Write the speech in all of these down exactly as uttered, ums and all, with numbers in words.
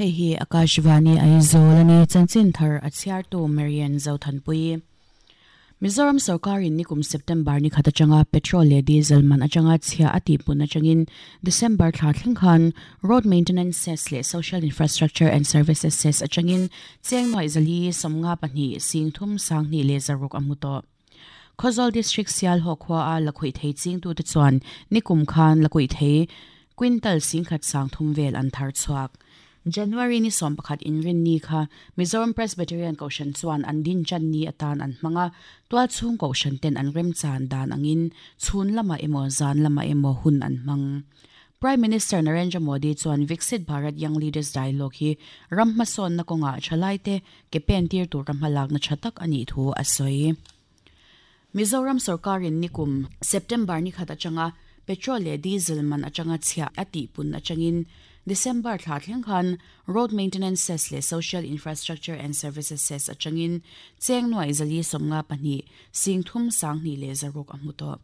Hei hi Akashvani Aizawl ani chanchin thar a chhiartu Marian Zothanpui. Mizoram sarkarin nikum September ni khat atanga petrol leh diesel man atanga chhia a tihpun atangin December thla thleng khan road maintenance cess leh social infrastructure and services cess atangin cheng nuai zali sawmnga pahnih sing thum sanghnih leh zaruk a hmu tawh. Khawzawl District Sialhawk khua a lakhuih thei chingtu te chuan nikum khan lakhuih thei quintal singkhat sang thum vel an thar chhuak. January ni sawm pakhat inrin ni kha Mizoram Presbyterian Kohhran chuan an din chan ni atan an hmanga tual chhung Kohhran ten an rem chan dan angin chhun lama emaw zan lama emaw hun an hmang. Prime Minister Narendra Modi chuan Viksit Bharat Young Leaders Dialogue hi ram hmasawn na kawnga thalai te ke pen tir tur ram hmalak na tha tak ani thu a sawi. Mizoram sarkarin nikum September ni khat atanga petrol leh diesel man atanga chhia a tihpun atangin December thla thleng khan road maintenance cess leh social infrastructure and services cess atangin cheng nuai zali sawmnga pahnih sing thum sanghnih leh zaruk a hmu tawh.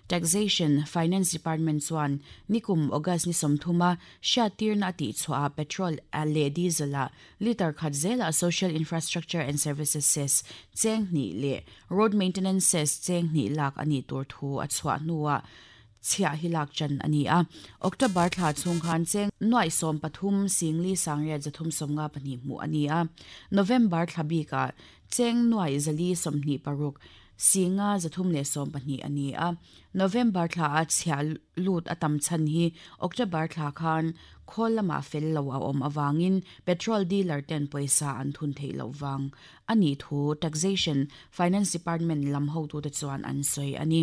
Taxation Finance Department chuan nikum August ni sawmthuma hriattirna a tih chhuah a petrol leh diesel a liter khat zela social infrastructure and services cess cheng hnih leh road maintenance cess cheng hnih lak ani tur thu a chhuah hnuah chhia hi lak chan ani a. October thla chhung khan cheng nuai sawm pathum singli sangriat zathum sawmnga pahnih hmu ani a. November thla bika cheng nuai zali sawmhnih paruk singa zathum leh sawm pahnih ani a. November thla a chhia lut atam chan hi October thla khan khol lama fel lo a awm awangin petrol dealer ten pawisa an thun thei lo wang ani thu Taxation Finance Department lam ho tu te chuan an sawi ani.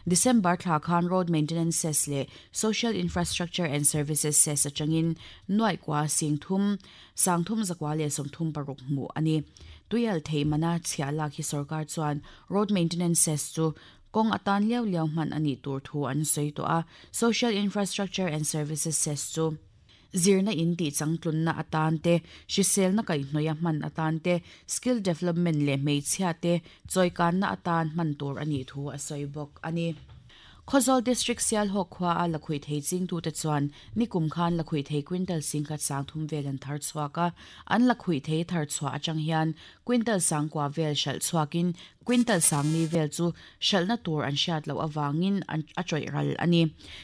December thla khan road maintenance cess leh social infrastructure and services cess atangin nuai kwa sing thum sang thum zakwa leh sawm thum paruk hmu ani. Tuial thei mana chhia lak hi sarkar chuan road maintenance cess chu kong atan liau liau hman ani tur thu an sawi to a. Social infrastructure and services cess chu zirna in ti changtlun na atan te hrisel na kai hnoia hman atan te skill development leh hmeichhia te chawikan na atan hman tur ani thu a sawi bawk ani. Khawzawl District Sialhawk khua a lakhuih thei chingtu te chuan nikum khan lakhuih thei quintal singkhat sang thum vel an thar chhuak a. An lakhuih thei thar chhuah atang hian quintal sang kwa vel hralh chhuakin quintal sang ni vel chu hralhna tur an hriat loh awangin an a chawih ral ani.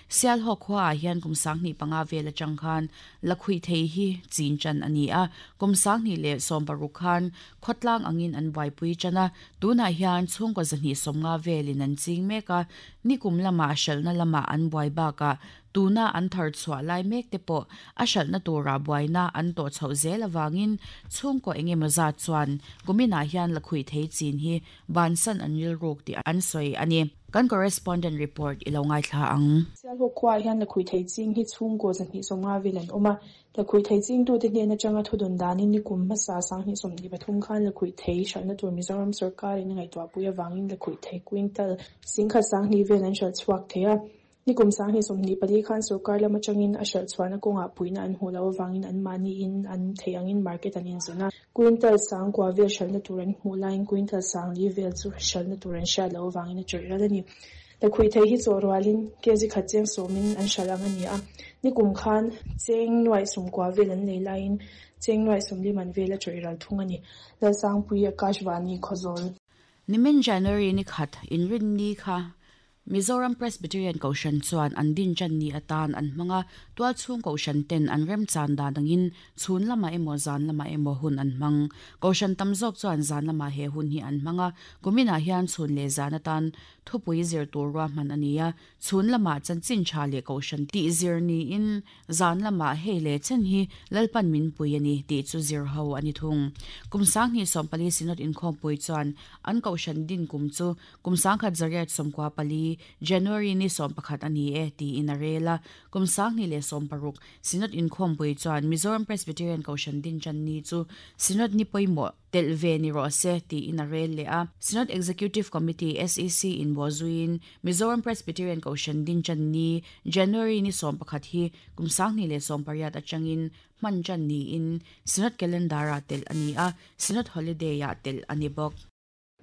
Sialhawk khua ah hian kum sanghnih panga vel atang khan lakhuih thei hi chin chan ani a. Kum sanghnih leh sawm paruk khan khawtlang angin an buaipui chan a. Tunah hian chhungkaw zahnih sawmnga velin an ching mek a. Nikum lama hralhna lama an buai bakah tuna an thar chhuah lai mek te pawh a hralhna tura buaina an tawh chhoh zel awangin chhungkaw engemaw zat chuan kuminah hian lakhuih thei chin hi bansan an rilruk tih an sawi ani. Kan correspondent report ilo ngaithla ang. Sialhawk khua hian lakhuih thei ching hi chhungkaw zahnih sawmnga vel an awm a. Lakhuih thei chingtu te hnen atanga thudun danin nikum hmasa sanghnih sawmhnih pathum khan lakhuih thei hralhna tur Mizoram sarkarin a ngaihtuahpui awangin lakhuih thei quintal singkhat sanghnih vel an hralh chhuak thei a. Nikum sanghnih sawmhnih pali khan sarkar lam atangin a hralh chhuahna kawngah puihna an hmuh loh awangin an mahni in an thei angin market an inzawn a. Quintal sang kwa vel hralhna tur an hmuh laiin quintal sang li vel chu hralhna tur an hriat loh awangin a chawih ral ani. Lakhuih thei hi chaw rualin kg khat cheng sawmin an hralh ang ani a. Nikum khan cheng nuai sawmkua vel an nei laiin cheng nuai sawmli man vel a chawih ral thung ani. Lalsangpui Akashvani Khawzawl. Nimin January ni khat inrin ni kha Mizoram Presbyterian Kohhran chuan an din chan ni atan an hmanga tual chhung Kohhran ten an rem chan dan angin chhun lama emaw zan lama emaw hun an hmang. Kohhran tam zawk chuan zan lama he hun hi an hmanga kuminah hian chhun leh zan atan thupui zir tur rua hman ani a. Chhun lama chanchin tha leh Kohhran tih zir niin zan lama hei leh chen hi lalpan min pui ani tih chu zir ho ani thung. Kum sanghnih sawmpali synod inkhawmpui chuan an Kohhran din kum chu kum sangkhat zariat sawmkua pali January ni sawm pakhat ani e ti in a rela. Kum sanghnih leh sawm paruk synod inkhawmpui chuan Mizoram Presbyterian Kohhran din chan ni chu synod ni pawimawh tel ve ni rawh se ti in a rel leh a. Synod Executive Committee S E C in buazuin Mizoram Presbyterian Kohhran din chan ni January ni sawm pakhat hi kum sanghnih leh sawm pariat atangin hman chan ni in synod calendar a tel ani a. Synod holiday a tel ani bawk.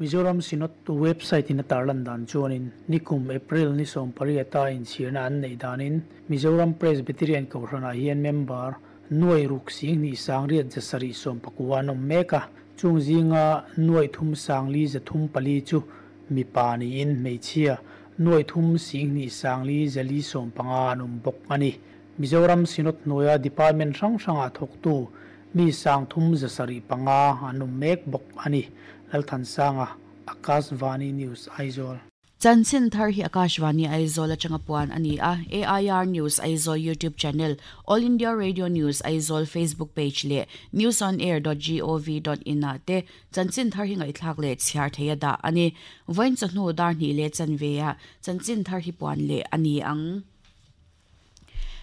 Mizoram Synod website in a tarlan dan chuanin nikum April ni sawm pariata in chhirna an nei danin Mizoram Presbyterian Kohhran ah hian member Nuai ruk sing ni sang riat zasari som pakua nom meka chung zinga nuai thum sang li zathum pali chu mi pa ni in meichia nuai thum sing ni sang li zali som panga anom bok ani. Mizoram Synod noya department rang ranga thoktu mi sang thum zasari panga anom mek bok ani. Lalthan sanga, Akashvani News, Aizawl. Chanchin thar hi Akashvani Aizawl atanga puan ani a. A I R News Aizawl YouTube channel, All India Radio News Aizawl Facebook page le news on air dot gov dot in a te chanchin thar hi ngai thlak le chhiar theia da ani. Voin chahnu dar ni le chanveya chanchin thar hi puan le ani ang.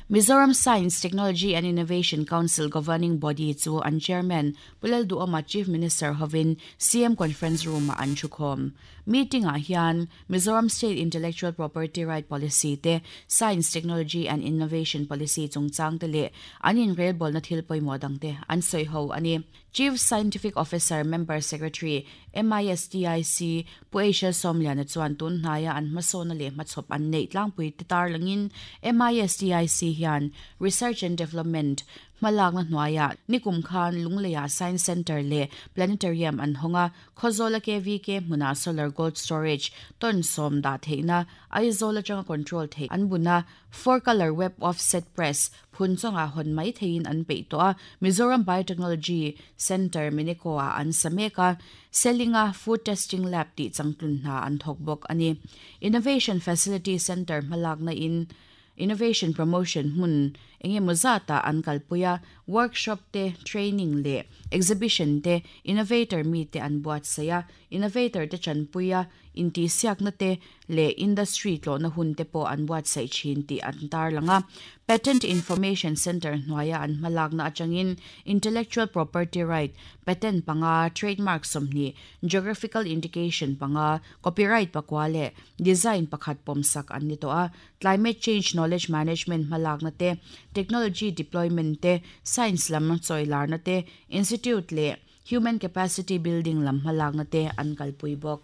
Mizoram Science, Technology and Innovation Council Governing Body chu an chairman Pulal Duoma Chief Minister hovin C M Conference Room an thukhom. Meeting a hian Mizoram State Intellectual Property Right Policy te Science, Technology and Innovation Policy chungchang te le anin rail bol na thil poimo dang te an soi ho ani. Chief Scientific Officer Member Secretary M I S T I C Pu Asia Somliana chuan tun hnaya an hmasona le hmachhawp an nei tlangpui te tar langin M I S T I C hian Research and Development hmalak na hnuaia nikum khan Lungleia Science Center le Planetarium an honga Khozola K V K hmuna Solar Gold Storage ton som da theina Aizawl atanga control thei an buna four color web offset press phunchonga hon mai thein an pe to a. Mizoram Biotechnology Center Minikoa an sameka Selinga Food Testing Lab ti changtlun na an thokbok ani. Innovation Facility Center hmalak na in Innovation Promotion hun enge muzata an kalpuya workshop te training le exhibition te innovator mi te an buat saya innovator te chanpuya inti siak na te le industry tlo na hun te po an buat sai chin ti an tar langa. Patent Information Center hnuaia an hmalak na atangin intellectual property right patent panga trademark somni geographical indication panga copyright pakwa le design pakhat pomsak an ni to a. Climate change knowledge management hmalak na te technology deployment te science lam choilar na te institute le human capacity building lam hmalak na te an kalpui bok.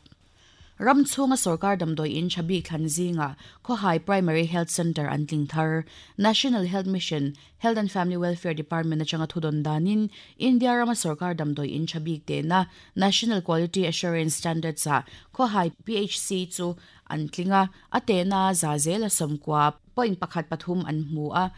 Ram chunga sarkar damdoi in chabi khanzinga Khohai Primary Health Center an tlingthar. National Health Mission Health and Family Welfare Department atanga thudon danin India rama sarkar damdoi in chabi te na National Quality Assurance Standards a Khohai P H C chu an tlinga ate na zazela somkwa point pakhat pathum an hmu a.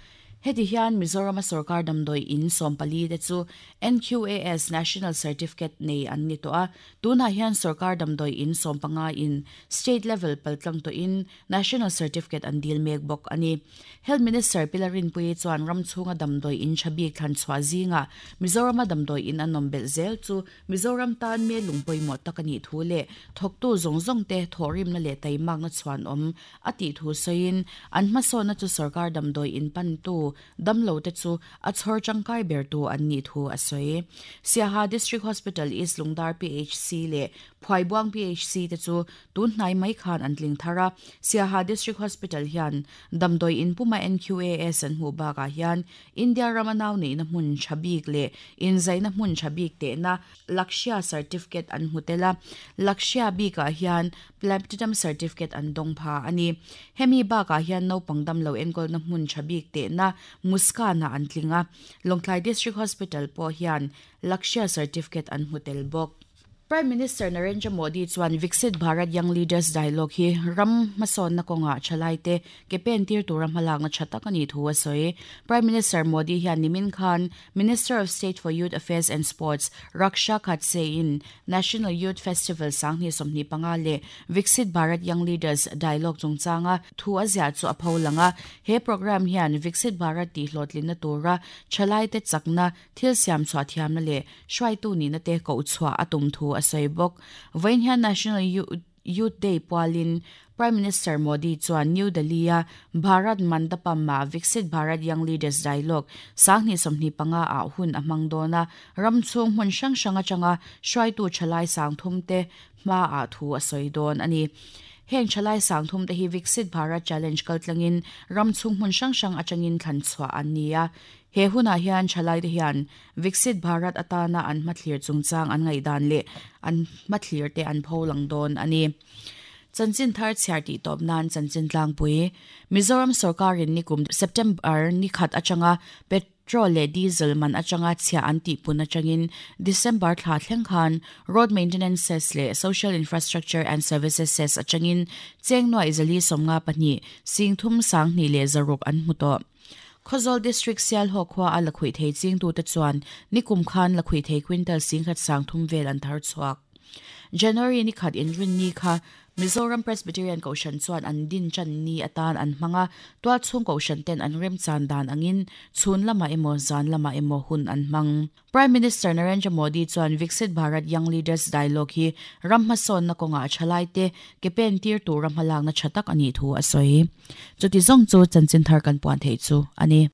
Heti hian Mizoram sarkar damdoi in sompali te chu N Q A S National Certificate nei an ni to a. Tuna hian sarkar damdoi in sompanga in state level paltlang to in National Certificate an dil mek bok ani. Health Minister Pilarin Pui chuan ramchunga damdoi in chabi khan chwa zinga Mizoram damdoi in anom bel zel chu Mizoram tan me lungpoi mo takani thu le thoktu zong zong te thorim na le taimak na chuan om ati thu soin an hmaso na chu sarkar damdoi in pan tu damlo te chu a chhor changkai ber tu an ni thu a soi. Siaha District Hospital East Lungdar P H C le Phuaibuang P H C te chu tun hnai mai khan an tling thara. Siaha District Hospital hian damdoi in puma N Q A S an hu ba ka hian India ramanau nei na hmun chabik le inzai na hmun chabik te na Lakshya certificate an hutela. Lakshya bi ka hian platinum certificate an dong pha ani. Hemi ba ka hian no pangdam lo enkol na hmun chabik te na Muskana an tlinga. Longtlai District Hospital po hian Lakshya certificate an hotel bok. Prime Minister Narendra Modi chuan Viksit Bharat Young Leaders Dialogue hi ram mason na konga chalai te ke pen tir tura hmalak na thatak ani thu a soi. Prime Minister Modi hian nimin khan Minister of State for Youth Affairs and Sports Raksha Khadse in National Youth Festival sangni somni panga le Viksit Bharat Young Leaders Dialogue chungchanga thu a zia chu a pholanga. He program hian Viksit Bharat ti hlotlin na tura chalai te chakna thil siam chwa thiam na le hruai tu ni na te ko chwa atum thu a bok. Vain hian National Youth Day pualin Prime Minister Modi chuan New Delhi a Bharat Mandapam ma Viksit Bharat Young Leaders Dialogue sangni somni panga a hun a hmang dona ramchhung hmun hrang hrang atanga hruaitu thalai sang thum te hma a thu a sawi dawn ani. Heng thalai sang thum te hi Viksit Bharat Challenge kaltlangin ramchhung hmun hrang hrang atangin thlan chhuah an ni a. He huna hian thalai te hian Viksit Bharat atana an hmathlir chungchang an ngaidan le an hmathlir te an pholang dawn ani. Chanchin thar chhiar ti tawp nan chanchin tlangpui Mizoram sarkarin nikum September ni khat atanga pet Petrol leh diesel man atanga chhia an tih pun atangin December thla thleng khan road maintenance cess leh social infrastructure and services cess atangin cheng nuai zali sawmnga pahnih sing thum sang hnih leh zaruk an hmu tawh. Khawzawl District Sialhawk khua a lakhuih thei ching tu te chuan nikum khan lakhuih thei quintal singkhat sang thum vel an thar chhuak. January ni khat in rin ni kha Mizoram Presbyterian Kohhran chuan an din chan ni atan an hmanga tual chhung Kohhran ten an rem chan dan angin chhun lama emaw zan lama emaw hun an hmang. Prime Minister Narendra Modi chuan Viksit Bharat Young Leaders Dialogue hi ram hmasawn na kawnga thalai te ke pen tir tur ram hmalak na tha tak ani thu a sawi. Chuti zawng chu chanchin thar kan puan thei chu ani.